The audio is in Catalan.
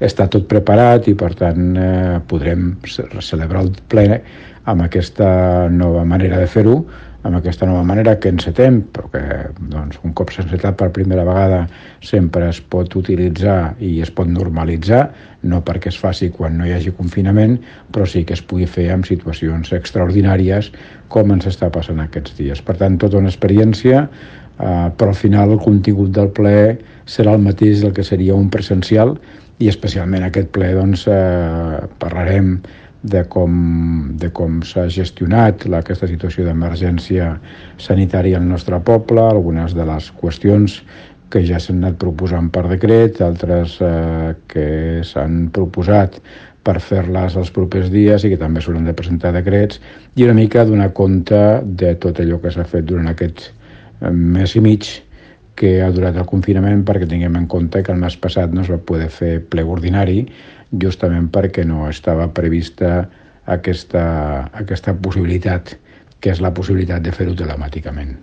està tot preparat i, per tant, podrem celebrar el ple amb aquesta nova manera de fer-ho, amb aquesta nova manera que encetem, però que doncs, un cop s'ha encetat per primera vegada sempre es pot utilitzar i es pot normalitzar, no perquè es faci quan no hi hagi confinament, però sí que es pugui fer en situacions extraordinàries com ens està passant aquests dies. Per tant, tota una experiència, però al final el contingut del ple serà el mateix del que seria un presencial, i especialment aquest ple doncs, parlarem de com s'ha gestionat aquesta situació d'emergència sanitària al nostre poble, algunes de les qüestions que ja s'han anat proposant per decret, altres que s'han proposat per fer-les els propers dies i que també s'hauran de presentar decrets, i una mica donar compte de tot allò que s'ha fet durant aquest mes i mig que ha durat el confinament, perquè tinguem en compte que el mes passat no es va poder fer ple ordinari, justament perquè no estava prevista aquesta possibilitat, que és la possibilitat de fer-ho telemàticament.